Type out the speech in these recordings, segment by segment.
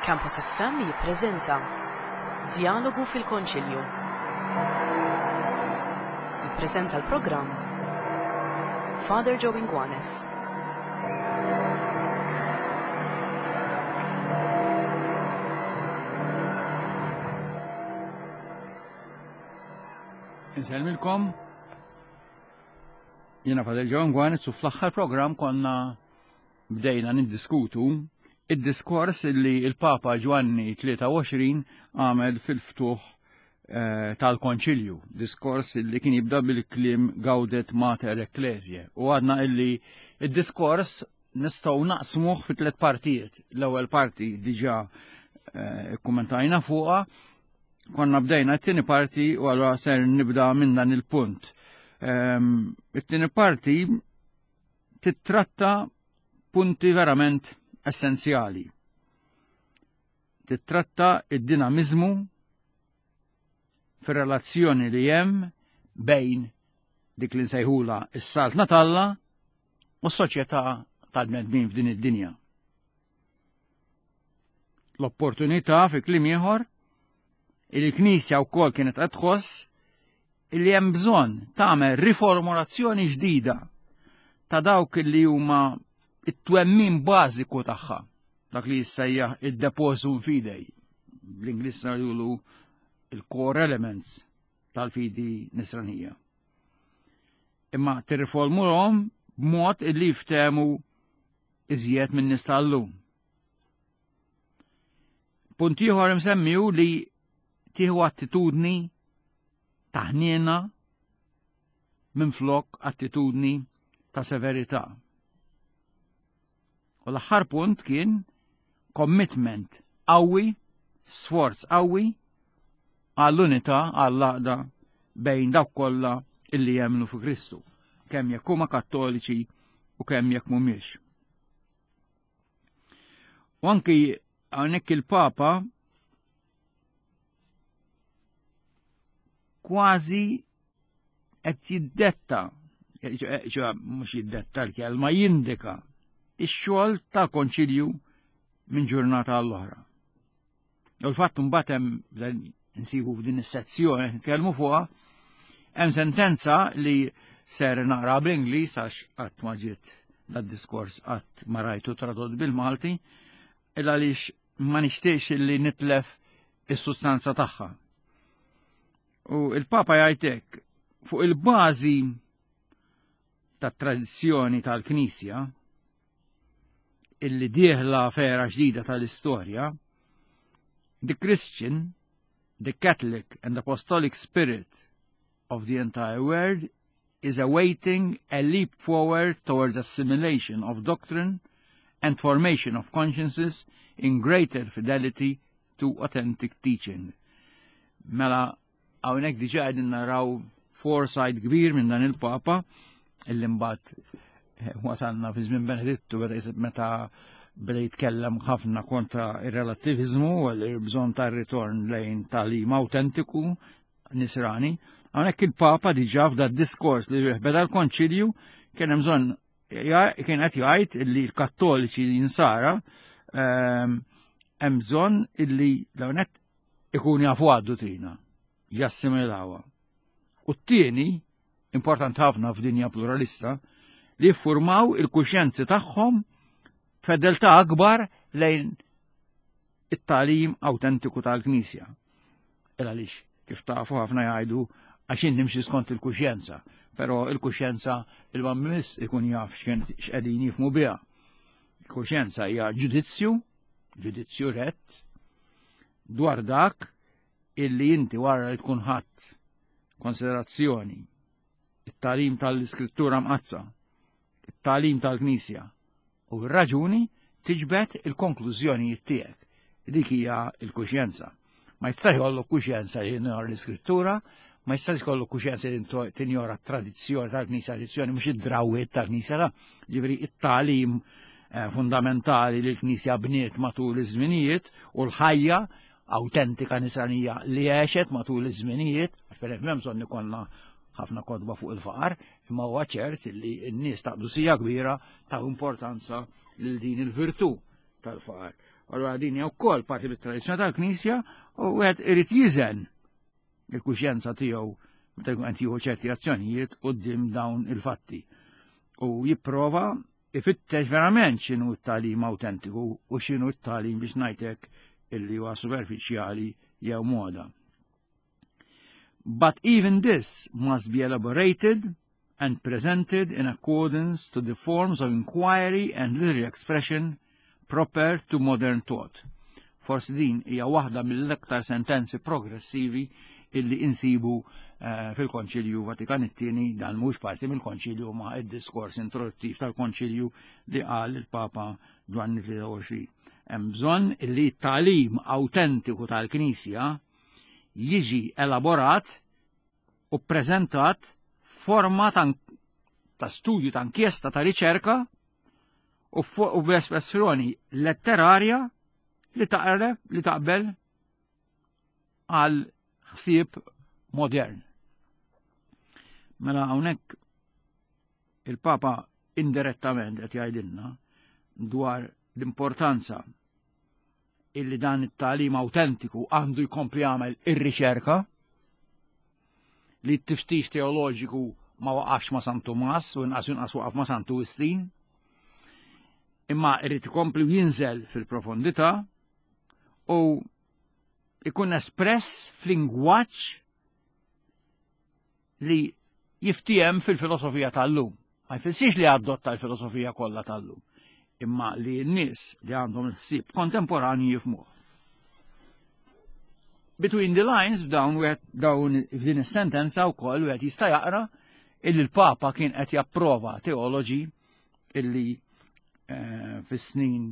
Campus FM jippreżenta Djalogu fil-Konċilju. Jippreżenta l-programm Father Joe Inguanes. Insellmilkom. Jiena Father Joe Inguanes u fl-aħħar programm konna bdejna niddiskutu id-diskors li il-Papa Ġwanni 23 għamel fil-ftuħ eh, tal-konċilju, diskors li kien jibda bil-kliem Gaudet Mater Ecclesiae. U għadna illi id-diskors nistgħu naqsmuh fi tliet partijiet. L-ewwel parti diġà eh, kummentajna fuqha, konna bdejna t-tieni parti u allura ser nibda minn dan il-punt. Ehm, it-tieni parti tittratta punti verament essenzjali. Tittratta id-dinamizmu fir-relazzjoni li hemm bejn dik li nsejħula is-saltna t'Alla u s-soċjetà tal-bnedmin f'din id-dinja. L-opportunità fi kliem ieħor il-Knisja wkoll kienet qed tħoss li hemm bżonn tagħmel riformulazzjoni ġdida ta' dawk li huma it-twemmin bażiku tagħha, dak li jissejjaħ id-depositum fidei, bl-Ingliż ngħidulu il-core elements tal-fidi nisranija. Imma tirriformulhom b'mod illi jiftehmu iżjed minn nies tal-lum. Punt ieħor imsemmi hu li tieħu attitudni ta' ħniena minflok attitudni ta' severità. U l-aħħar punt kien commitment qawwi, sforz qawwi għall-unità, għall-għaqda bejn dawk kollha illi jemmnu fi Kristu, kemm jekk huma kattoliċi u kemm jekk mhumiex. U anki hawnhekk il-Papa kważi qed jiddetta, ċoħ mhux jiddetta l-kelma, jindika ix-xogħol tal-Konċilju minn ġurnata għall-oħra. U l-fatt mbagħad hemm nsibu f'din is-sezzjoni qed nitkellmu fuqha, hemm sentenza li ser naqra bl-Ingliż għax qatt ma ġiet dad-diskors qatt ma rajtu tradott bil-Malti, il għaliex ma nixtieqx li nitlef is-sustanza tagħha. U il-Papa jgħid hekk fuq il-bażi tat-tradizzjoni tal-Knisja illi dieħla fera ġdida tal-istorja, the Christian, the Catholic and Apostolic spirit of the entire world is awaiting a leap forward towards assimilation of doctrine and formation of consciences in greater fidelity to authentic teaching. Mela, hawnhekk diġà qegħdin naraw foresight kbir minn dan il-Papa illi mbagħad eh, wasalna fi żmien Benedittu meta beda jitkellem ħafna kontra ir-relattivizmu u l-bżonn tar-ritorn lejn tagħlim autentiku nisrani. Hawnhekk il-Papa diġà f'da diskors li beda l-Konċilju kien hemm bżonn kien qed jgħid illi l-Kattoliċi jinsara ehm, hemm bżonn illi l-hawnhekk ikun jafu għad-duttrina, jassimilawha. U t-tieni, importanti ħafna f'dinja pluralista, li jiffurmaw il-kuxjenzi tagħhom fedeltà akbar lejn it-tagħlim awtentiku tal-Knisja. Il għaliex kif tafu ħafna jgħidu għax jien nimxi skont il-kuxjenza, però il-kuxjenza il-mammis ikun jaf x'qegħdin jifmu biha. Il-kuxjenza hija ġudizzju, ġudizzju rett, dwar dak illi inti wara li tkun ħadd konsiderazzjoni it-tagħlim tal-Iskrittura Mqaddsa, it-tagħlim tal-Knisja u r-raġuni tiġbed il-konklużjonijiet tiegħek. Dik hija l-kuxjenza. Ma jistax jkollok kuxjenza li tinjora l-Iskrittura, ma jistax jkollok kuxjenza li tinjora t-tradizzjoni tal-Knisja, tradizzjoni mhux id-drawwiet tal-Knisja, la, ġifieri it-tagħlim eh, fundamentali li l-Knisja bniet matul iż-żminijiet u l-ħajja awtentika nisranija li għexet matul iż-żminijiet, għax per hemm bżonn ikollna ħafna kotba fuq il-faqar, imma huwa ċert li n-nies ta' qdusija kbira ta' importanza lil din il-virtù tal-faqar. Allura din hija wkoll parti mit-tradizzjoni tal-Knisja u wieħed irid jiżen il-kuxjenza tiegħu meta jkun qed jieħu ċerti azzjonijiet quddiem dawn il-fatti. U jipprova ifittex verament x'inhu t-tagħlim awtentiku u x'inhu t-tagħlim biex ngħidlek illi huwa superfiċjali jew moda. But even this must be elaborated and presented in accordance to the forms of inquiry and literary expression proper to modern thought. Forsi din hija waħda mill-aktar sentenzi progressivi illi insibu eh, fil-Konċilju Vatikan it-tieni dan mhux parti mill-Konċilju ma' id-diskors introduttiv tal-Konċilju li qal il-Papa Ġwanni 23. Hemm bżonn illi t-tagħlim awtentiku tal-Knisja jiġi elaborat u ppreżentat forma ta', ta studju ta' inkjesta ta' riċerka u, u b'espressjoni letterarja li taqreb li taqbel għal ħsieb modern. Mela hawnhekk il-Papa indirettament qed jgħidilna dwar l-importanza illi dan it-tagħlim awtentiku għandu jkompli jagħmel ir-riċerka li t-tiftix teoloġiku ma waqafx ma' San Tumas u inqas inqas waqaf ma' Santu Wistin, imma irrid ikompli jinżel fil-profondità u ikun espress f'lingwaġġ li jiftiehem fil-filosofija tal-lum. Ma jfissirx li adotta l-filosofija kollha tal-lum, imma li n-nies li għandhom il-ħsieb kontemporanju jifmuh. Between the lines f'dawn wieħed dawn f'din is-sentenza wkoll wieħed jista' jaqra illi l-Papa kien qed japprova teoloġi illi eh, fis-snin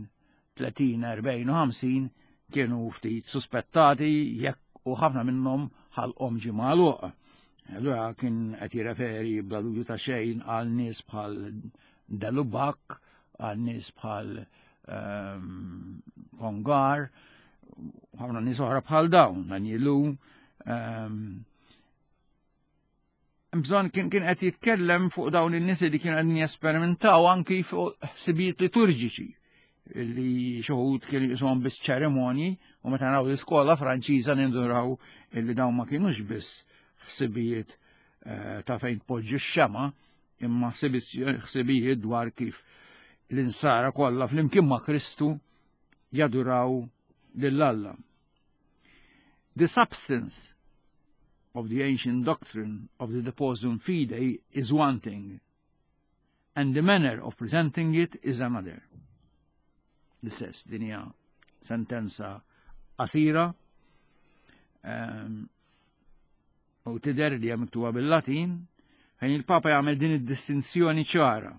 30, 40 u 50 kienu ftit suspettati jekk u ħafna minnhom ħalqhom ġie magħluq. Allura kien qed jirreferi bla dubju ta' xejn għal nies bħal Delubak, għal nies bħal ehm, Kongar, ħafna nies oħra bħal dawn, Danielu. Ehm, bżonn kien kien qed jitkellem fuq dawn in-nies li kienu qegħdin jesperimentaw anki fuq ħsibijiet liturġiċi li xoħud kienu jisuhom biss ċerimonji u meta naraw l-iskola Franċiża ninduraw li dawn ma kienux biss ħsibijiet eh, ta' fejn tpoġġi x-xema imma ħsibijiet dwar kif l-insara kollha flimkien ma' Kristu jaduraw lil Alla. The substance of the ancient doctrine of the depositum fidei is one thing, and the manner of presenting it is another. L-istess, din hija sentenza qasira um, u tidher li hija miktuba bil-Latin fejn il-Papa jagħmel din id-distinzjoni ċara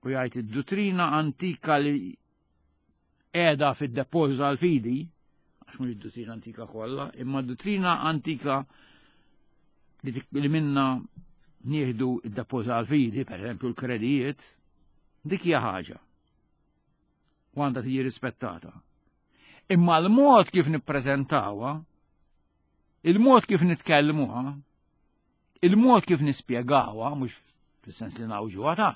u jgħid id-duttrina antika li qiegħda fid-depożit tal-fidi, għax mhux id-duttrina antika kollha, imma d-duttrina antika li minna nieħdu id-depożit tal-fidi, per eżempju l-kredijiet, dik hija ħaġa. U għandha tiġi rispettata. Imma l-mod kif nippreżentawha, il-mod kif nitkellmuha, il-mod kif nispjegawha, mhux fis-sens li nawġuha ta'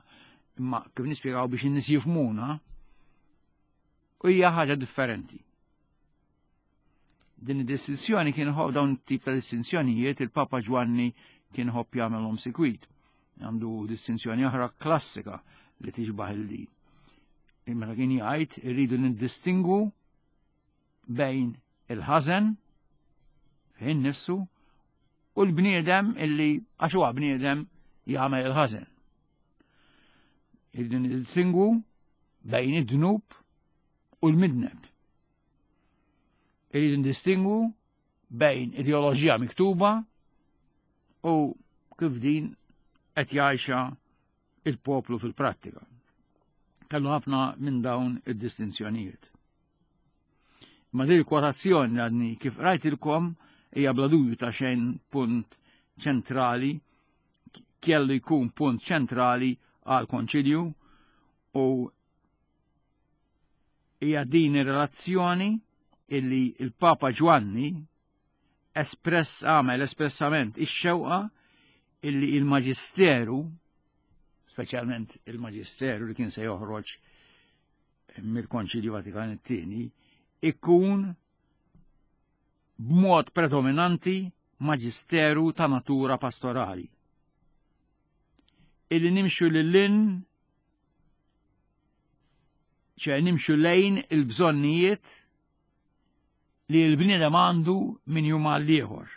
imma kif nispjegaw biex in-nies jifhmuna, u hija ħaġa differenti. Din id-distinzjoni kien ħobb dawn tip ta' distinzjonijiet il-Papa Ġwanni kien ħobb jagħmelhom sikwit. Għandu distinzjoni oħra klassika li tixbaħ il-din. Meta kien jgħid irridu niddistingu bejn il-ħażen fih nifsu u l-bniedem illi għax huwa bniedem jagħmel il-ħażen. Irridu niddistingwu bejn id-dnub u l-midneb. Irridu ndistingwu bejn ideoloġija miktuba u kif din qed jgħixha il-poplu fil-prattika. Kellu ħafna minn dawn id-distinzjonijiet. Ma din il-kwotazzjoni għadni kif rajtilkom hija bla dubju ta' xejn punt ċentrali kellu jkun punt ċentrali għal konċilju u hija din ir-relazzjoni illi il-Papa Ġwanni espress għamel espressament ix-xewqa illi il-Maġisteru, speċjalment il-Maġisteru li kien se joħroġ mill-Konċilju Vatikan it-tieni ikun b'mod predominanti maġisteru ta' natura pastorali. Illi nimxu lil ċe nimxu lejn il-bżonnijiet li l-bniedem għandu minn jum għal ieħor.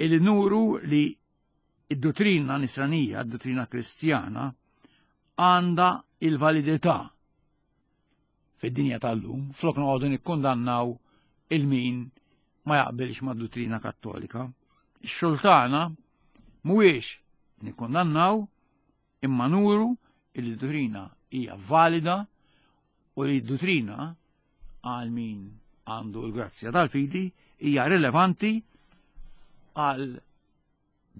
Illi nuru li id-dottrina nisranija, id-dottrina kristjana, għandha il-validità fid-dinja tal-lum, flok noqogħdu nikkundannaw il-min ma jaqbilx mad-dottrina kattolika. Ix-xogħol tagħna mhuwiex nikkundannaw imma nuru li d-dottrina hija valida u li d-dottrina għal min għandu l-grazzja tal-fidi hija rilevanti għal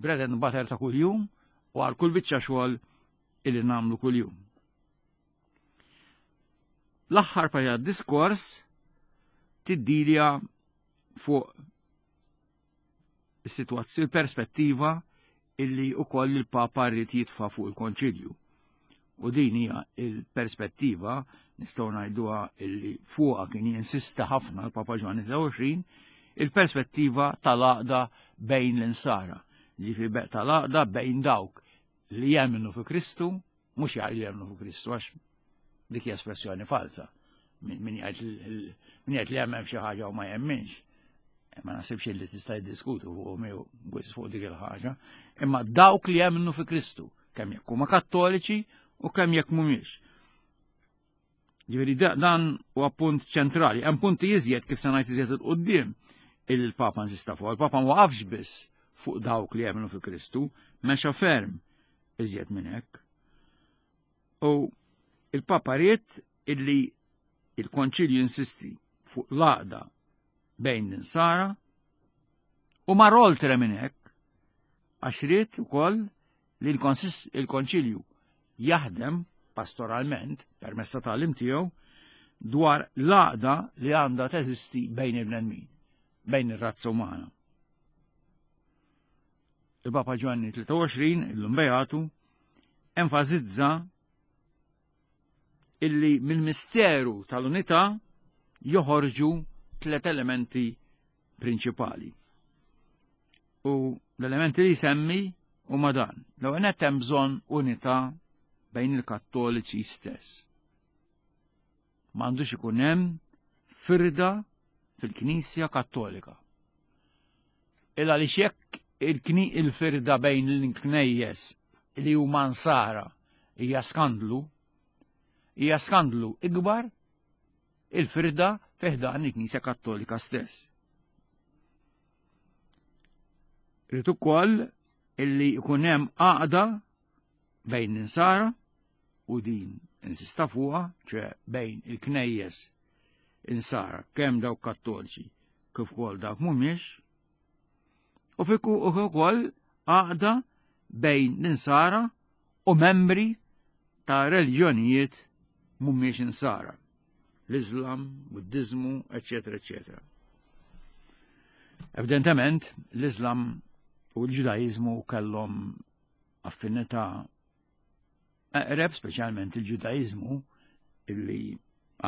bread and butter ta' kuljum u għal kull biċċa xogħol illi nagħmlu kuljum. L-aħħar parti diskors tiddilja fuq is-sitwazzjoni perspettiva illi ukoll il-Papa rrid jitfa' fuq il-Konċilju. U din hija il-perspettiva nistgħu ngħiduha illi fuqha kien jinsista ħafna l-Papa Ġwanni 23, il-perspettiva tal-għaqda bejn l-insara. Ġifieri tal-għaqda bejn dawk li jemmnu fi Kristu, mhux jgħidu jemmnu fi Kristu għax dik hija espressjoni falsa. Min jgħid li jemmen f'xi ħaġa u ma jemminx. Ma naħsibx li tista' jiddiskutu fuq miegħu fuq dik il-ħaġa. Imma dawk li jemmnu fi Kristu, kemm jekk huma kattoliċi u kemm jekk mhumiex. Ġifieri dan huwa punt ċentrali. Hemm punti iżjed kif se ngħid iżjed il-qudiem il-Papa insista fuq. Il-Papa ma waqafx biss fuq dawk li jemmnu fi Kristu, mexa ferm iżjed minn hekk. U il-Papa ried illi il-Konċilju insisti fuq l-għaqda bejn l-insara u mar oltre minn hekk għax ried ukoll li l-Konċilju jaħdem pastoralment permezz ta' tagħlim tiegħu dwar l-għaqda li għandha teżisti bejn il-bnedmin, bejn ir-razza umana. Il-Papa Ġwanni 23, illum Beatu, enfasizza illi mill-misteru tal-unità joħorġu tlet elementi prinċipali. U l-elementi li semmi huma dan. L-ewwel nett hemm bżonn unità bejn il-Kattoliċi stess. M'għandux ikun hemm firda fil-Knisja Kattolika. Il għaliex jekk il-firda bejn l-knejjes li huma nsara hija skandlu, hija skandlu ikbar il-firda fi ħdan il-Knisja Kattolika stess. Rrid ukoll illi jkun hemm għaqda bejn l-insara u din insista fuqha, ċe bejn il-knejjes insara kemm dawk kattoliċi kif ukoll dawk mhumiex, u fiku ukoll għaqda bejn l-insara u membri ta' reliġjonijiet mhumiex insara, l-Islam, Buddiżmu, eċetera, eċetera. Evidentement, l-Islam u l-Ġudaiżmu kellhom affinità eqreb, speċjalment il-Ġudaiżmu, illi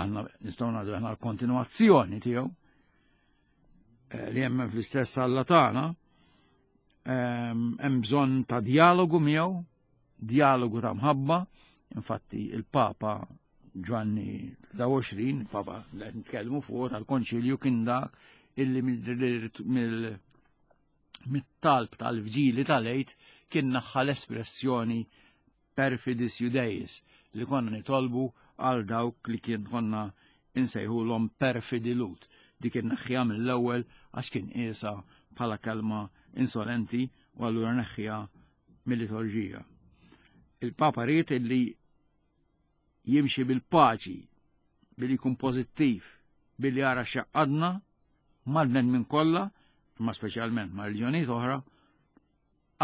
aħna nistgħu ngħidu aħna l-kontinwazzjoni tiegħu eh, li hemm fl-istess Alla tagħna, ehm, hemm bżonn ta' dialogu miegħu, dialogu ta' mħabba, infatti il-Papa Ġwanni 23, Papa li qed nitkellmu fuq tal-Konċilju kien dak illi mill mit-talb tal-vġili tal-Għid kien naħħa l-espressjoni perfidis Judeis li konna nitolbu għal dawk li kien konna insejħulhom perfidi Lut. Dik kien neħħiha mill-ewwel għax kien qiesha bħala kelma insolenti u allura neħħiha mill-liturġija. Il-Papa ried illi jimxi bil-paċi, billi jkun pożittiv, billi jara x'jaqadna mal-bnedmin kollha, imma speċjalment ma' reliġjonijiet oħra,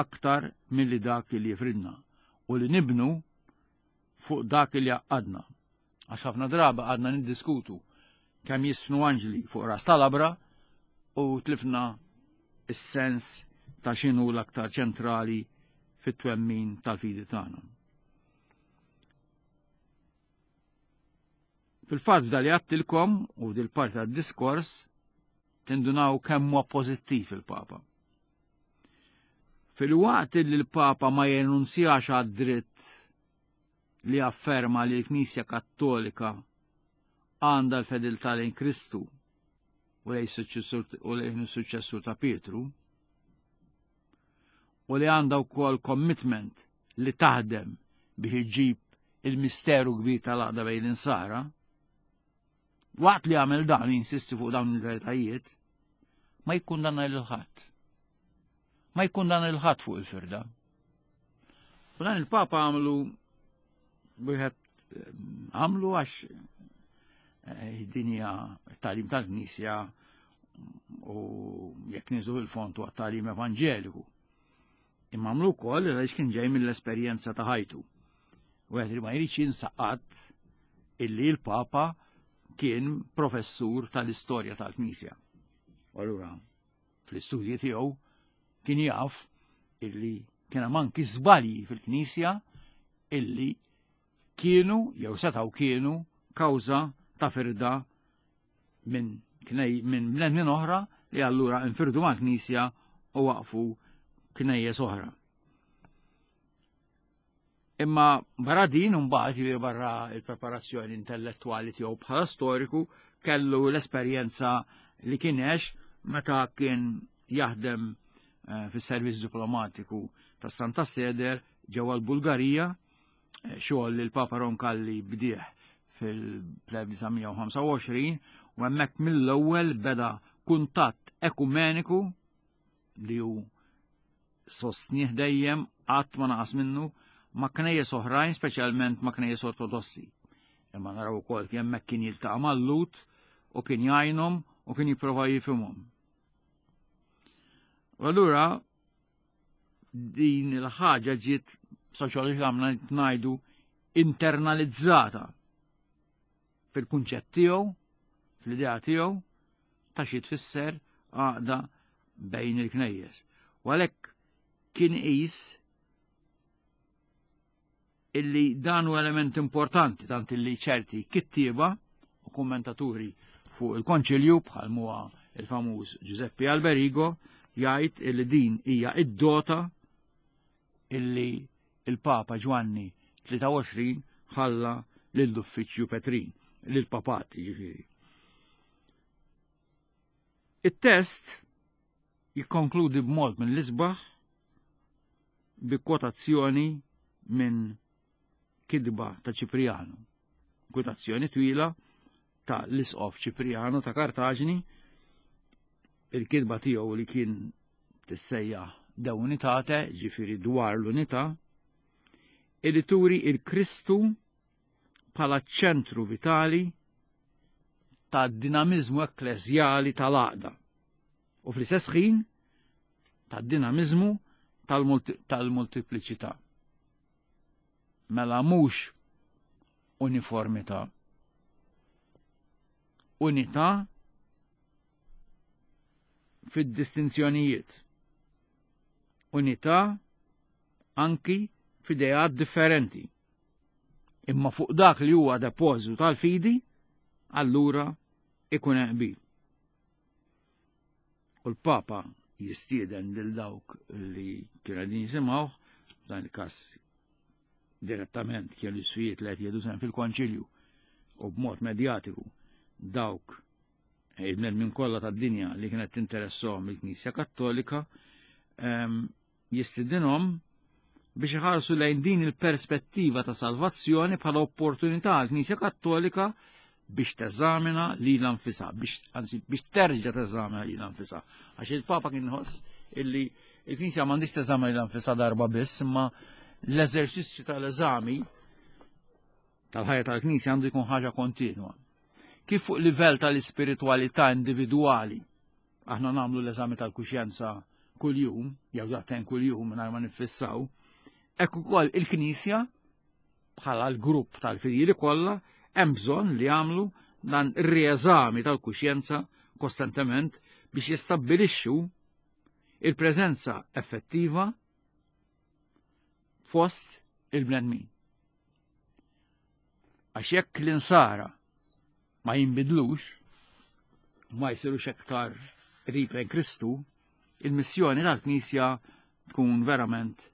aktar milli dak li jifridna u li nibnu fuq dak li jaqadna. Għax ħafna draba għadna niddiskutu kemm jisfnu anġli fuq ras tal-abra u tlifna is-sens ta' x'inhu l-aktar ċentrali fit-twemmin tal-fidi tagħna. Fil-fatt f'dal li għattilkom u f'dil-parti tad-diskors tindunaw kemm huwa pożittiv il-Papa. Filwaqt li l-Papa ma jenunzjax għad-dritt li afferma li l-Knisja Kattolika għandha l-fedeltà lejn Kristu u lejn is-suċċessur ta' Pietru, u li għandha wkoll commitment li taħdem biex iġġib il-misteru kbir tal-għaqda bejn l-insara, waqt li għamel dan jinsisti fuq dawn il-veritajiet, ma jikkundanna lil ħadd. Ma jikkundanna lil ħadd fuq il-firda. U dan il-Papa għamlu wieħed eh, għamlu għax eh, dinja talim tal-Knisja u jekk niżu il-fond huwa talim evanġeliku. Imma għamlu wkoll għaliex kien ġej mill-esperjenza ta' ħajtu. Wieħed li ma jridx jinsaqat illi l-Papa kien professur tal-istorja tal-Knisja. U allura fl-istudji tiegħu kien jaf illi kien hemm anki żbalji fil-Knisja illi kienu jew setgħu kienu kawża ta' firda minn knej minn bnedmin oħra li allura infirdu mal-Knisja u waqfu knejjes oħra. Imma barra din mbagħad jiġifieri barra il-preparazzjoni intellettwali tiegħu bħala storiku kellu l-esperjenza li kien għex meta kien jaħdem eh, fis-servizz diplomatiku tas Santa Seder ġewwa l-Bulgarija, eh, xogħol li l-Papa Roncalli bdieħ fil-1925 u hemmhekk mill-ewwel beda kuntatt ekumeniku li hu sostnieh dejjem qatt ma naqas minnu ma' knejjes oħrajn, speċjalment ma' knejjes ortodossi. Imma naraw ukoll kien hemmhekk kien jiltaqa' mal-Lhud u kien jgħinhom u kien jipprova jifhimhom. U allura din il-ħaġa ġiet soċjoloġikament ngħidu internalizzata fil-kunċett tiegħu, fl-idea tiegħu ta' xi tfisser għaqda bejn il-knejjes. U għalhekk kien qis illi dan hu element importanti tant illi ċerti kittieba u kommentaturi fuq il-konċilju bħal muha il-famuż Giuseppe Alberigo jgħid illi din hija id-dota illi il-Papa Ġwanni 23 ħalla lill-Uffiċċju Petrin, lill-Papat jiġifieri. It-test jikkonkludi b'mod mill-isbaħ bi kwotazzjoni minn kitba ta' Ċiprianu. Kwotazzjoni twila ta' l-isqof Ċiprianu ta' Kartaġni, il-kitba tiegħu li kien tissejjaħ De Unitate, ġifieri dwar l-unità, illi turi il-Kristu bħala ċentru vitali ta' dinamizmu ekkleżjali tal-għaqda u fl-istess ħin ta' dinamizmu tal-multipliċità. Mela mhux uniformità. Unità fid-distinzjonijiet. Unità anki f'ideat differenti. Imma fuq dak li huwa depożitu tal-fidi, allura ikun hemm qbil. U l-Papa jistieden lil dawk li kienu qegħdin jisimgħuh, dan il-każ direttament kienu l-isfijiet li qed jieħdu sehem fil-konċilju u b'mod medjatiku dawk il-bnedmin kollha tad-dinja li kienet tinteressahom il-Knisja Kattolika ehm, jistidinhom biex iħarsu lejn din il-perspettiva ta' salvazzjoni bħala opportunità għall-Knisja Kattolika biex teżamina lilha nfisha, biex anzi biex terġa' teżamina lilha nfisha. Għax il-Papa kien ħoss illi il-Knisja m'għandix teżamina lilha nfisha darba biss, imma l-eżerċizzju tal-eżami tal-ħajja tal-Knisja għandu jkun ħaġa kontinwa. Kif fuq livell tal-ispiritwalità individwali aħna nagħmlu l-eżami tal-kuxjenza kuljum, jew daqtejn kuljum mingħajr ma niffissaw, hekk ukoll il-Knisja bħala l-grupp tal-fidili kollha hemm bżonn li jagħmlu dan ir-rieżami tal-kuxjenza kostantement biex jistabbilixxu il-preżenza effettiva fost il-bnedmin. Għax jekk l-insara ma jinbidlux, ma jsirux aktar qrib lejn Kristu, il-missjoni tal-Knisja tkun verament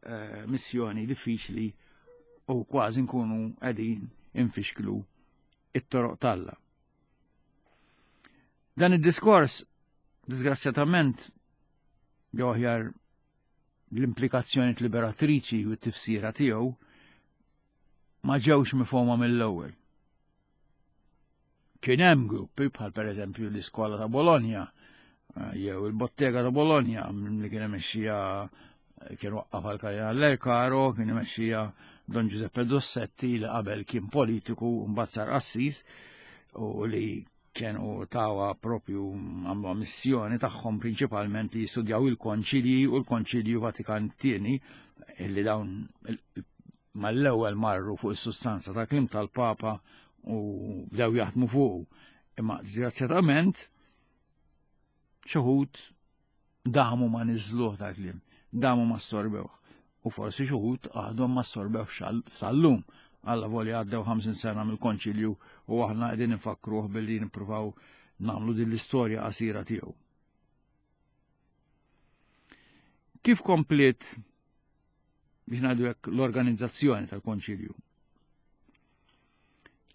eh, missjoni diffiċli u kważi nkunu qegħdin infixklu it-toroq talla. Dan id-diskors, disgrazzjatament, jew aħjar l-implikazzjoni liberatriċi u t-tifsira tiegħu ma ġewx mifhoma mill-ewwel. Kien hemm gruppi bħal pereżempju l-Iskola ta' Bologna eh, jew il-Bottega ta' Bologna li kien imexxija eh, kien waqqaf għal Kardinal Lercaro, kien imexxija Don Giuseppe Dossetti li qabel kien politiku mbagħad sar qassis u li kienu tawa propju għamlu missjoni tagħhom prinċipalment li jistudjaw il-konċilji u l-Konċilju Vatikan tieni illi dawn mal-ewwel marru fuq is-sustanza ta' klim tal-Papa u bdew jaħdmu fuqu. Imma disgrazzjatament xi wħud damu ma niżluh ta' kliem, damu ma sorbewh. U forsi xi wħud għadhom ma sorbewh sal-lum. Alla volja għaddew 50 sena mill-konċilju u aħna qegħdin nfakkruh billi nippruvaw nagħmlu din l-istorja qasira tiegħu. Kif kompliet biex ngħidu hekk l-organizzazzjoni tal-Konċilju?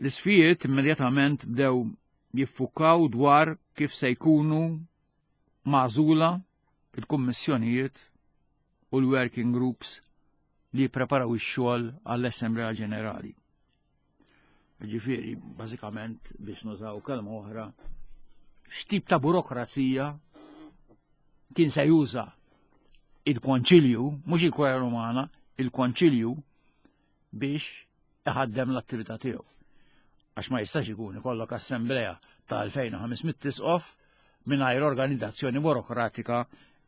L-isfijiet immedjatament bdew jiffukaw dwar kif se jkunu magħżula il-kummissjonijiet u l-working groups li jippreparaw ix-xogħol għall-Assemblea Ġenerali. Ġifieri, bażikament biex nużaw kelma oħra, x'tip ta' burokrazija kien se juża il-Konċilju, mhux il-Kurja Rumana, il-Konċilju biex iħaddem l-attività tiegħu. Għax ma jistax ikun ikollok assemblea ta' 2500 tisqof mingħajr organizzazzjoni burokratika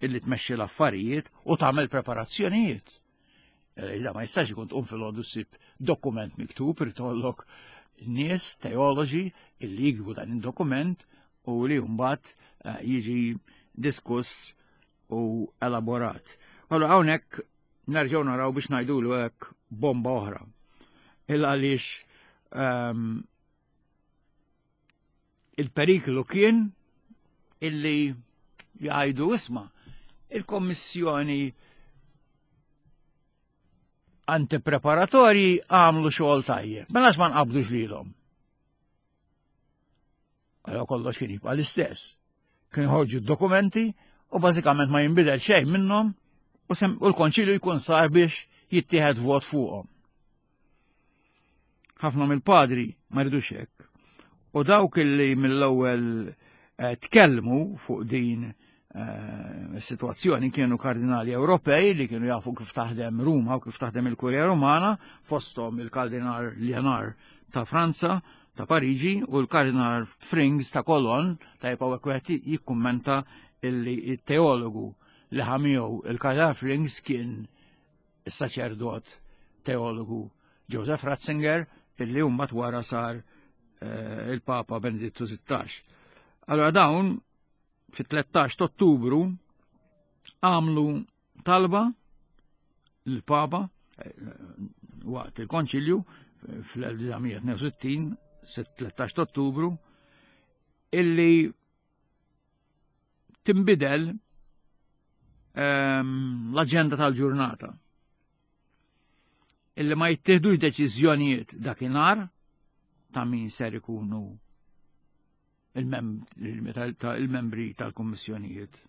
illi tmexxi l-affarijiet u tagħmel preparazzjonijiet. Eh, da ma jistax ikun tqum fil-ħodu ssib dokument miktub, irtollok nies teoloġi illi jikbu dan il-dokument u li mbagħad eh, jiġi diskuss u elaborat. Allora hawnhekk nerġgħu naraw biex ngħidulu hekk bomba oħra. Il għaliex ehm, il-periklu kien illi jgħidu isma' il-Kommissjoni antipreparatorji għamlu xogħol tajjeb. Mela ma nqabdux lilhom. Allora kollox kien jibqa' l-istess. Kien ħorġu d-dokumenti u bażikament ma jinbidel xejn minnhom u l-konċilju jkun sar biex jittieħed vot fuqhom. Ħafna mill-padri ma jridux hekk. U dawk illi mill-ewwel eh, tkellmu fuq din eh, is-sitwazzjoni kienu kardinali Ewropej li kienu jafu kif taħdem Ruma u kif taħdem il-Kurja Rumana, fosthom il-Kardinal Leonard ta' Franza, ta' Pariġi u l-Kardinal Frings ta' Kolon, ta' jibqgħu wieħed jikkummenta illi il-teologu li ħamiegħu il-Kardinal Frings kien is-saċerdot teologu Joseph Ratzinger illi mbagħad wara sar eh, il-Papa Benedittu XVI. Allora dawn fit-13 Ottubru għamlu talba l-Papa eh, waqt il-Konċilju eh, fl-1962, 13 Ottubru, illi timbidel ehm, l-aġenda tal-ġurnata. Illi ma jittieħdux deċiżjonijiet dakinhar ta' min ser ikunu il-membri tal-kummissjonijiet.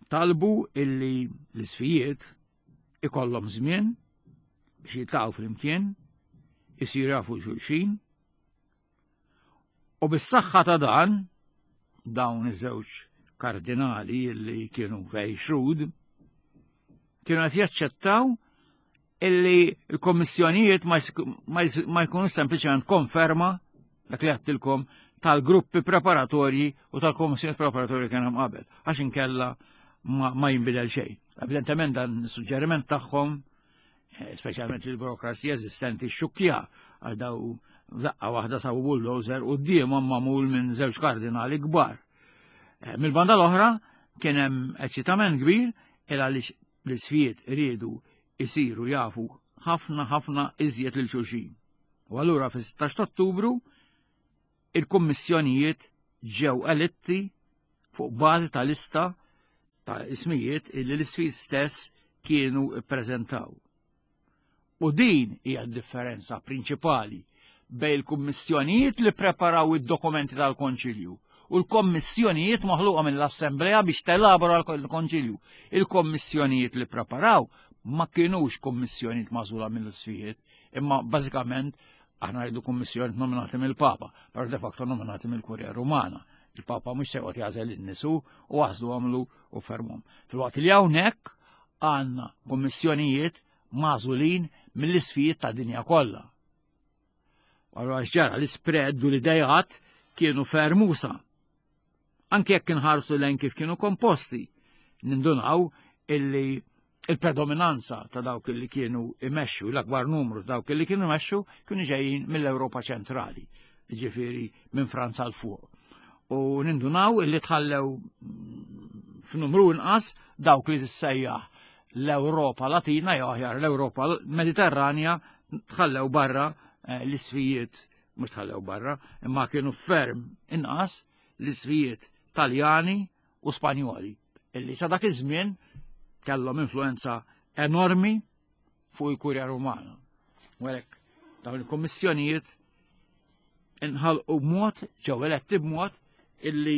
Talbu illi l-isfijiet ikollhom żmien biex jiltaqgħu flimkien, isiru jafu xulxin, U bis-saħħa ta' dan, dawn iż-żewġ kardinali li kienu very shrewd, kienu qed jaċċettaw illi l-kommissjonijiet ma jkunu sempliċement konferma dak li għattilkom tal-gruppi preparatorji u tal-kommissjoni preparatorji kien hemm qabel, għax inkella ma jinbidel xejn. Evidentement dan is-suġġeriment tagħhom Eh, speċjalment il-burokrazija eżistenti xukja għal daw daqqa waħda sabu bulldozer u d-diemhom magħmul minn żewġ kardinali kbar. Eh, mill-banda l-oħra kien hemm eċitament kbir il għaliex l-isfijiet riedu isiru jafu ħafna ħafna iżjed lil xulxin. U allura fis-16 Ottubru Il-kummissjonijiet ġew eletti fuq bażi ta' lista ta' ismijiet illi l-isfijiet stess kienu ppreżentaw. U din hija d-differenza prinċipali bejn il-kummissjonijiet li preparaw id-dokumenti tal-Konċilju u l-kommissjonijiet maħluqa mill-Assemblea biex telabora l-Konċilju. Il-kommissjonijiet li preparaw ma kienux kommissjonijiet magħżula mill-isfijiet, imma bażikament aħna rridu kummissjonijiet nominati mill-Papa, però de facto nominati mill-Kurja Rumana. Il-Papa mhux se joqgħod jagħżel in-nisu u għażlu għamlu u fermhom. Filwaqt li hawnhekk għandna kummissjonijiet magħżulin mill-isfijiet ta' dinja kollha. Allura ġara l-ispread u l-idejat kienu fermusa. Anke jekk inħarsu lejn kif kienu komposti, nindunaw illi il-predominanza ta' dawk li kienu imexxu, l-akbar numru ta' dawk li kienu imexxu, kienu ġejjin mill-Ewropa ċentrali, ġifieri minn Franza l fuq. U nindunaw illi tħallew f'numru inqas dawk li tissejjaħ l-Ewropa Latina jew aħjar l-Ewropa Mediterranja tħallew barra eh, l-isfijiet mhux tħallew barra, imma kienu ferm inqas l-isfijiet Taljani u Spanjoli illi sa dak iż-żmien kellhom influenza enormi fuq il-Kurja Rumana. U għalhekk dawn il-kummissjonijiet inħalqu b'mod ġew eletti b'mod illi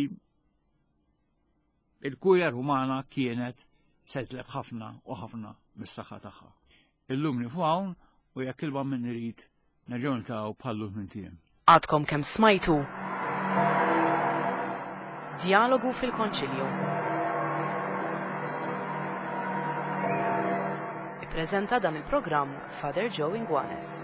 il-Kurja Rumana kienet se tlef ħafna u ħafna mis-saħħa tagħha. Illum nifu hawn u jekk il minn irid nerġgħu niltaqgħu bħallu minn tiem. Għadkom kemm smajtu Djalogu fil-Konċilju. Ippreżenta dan il-programm Father Joe Inguanes.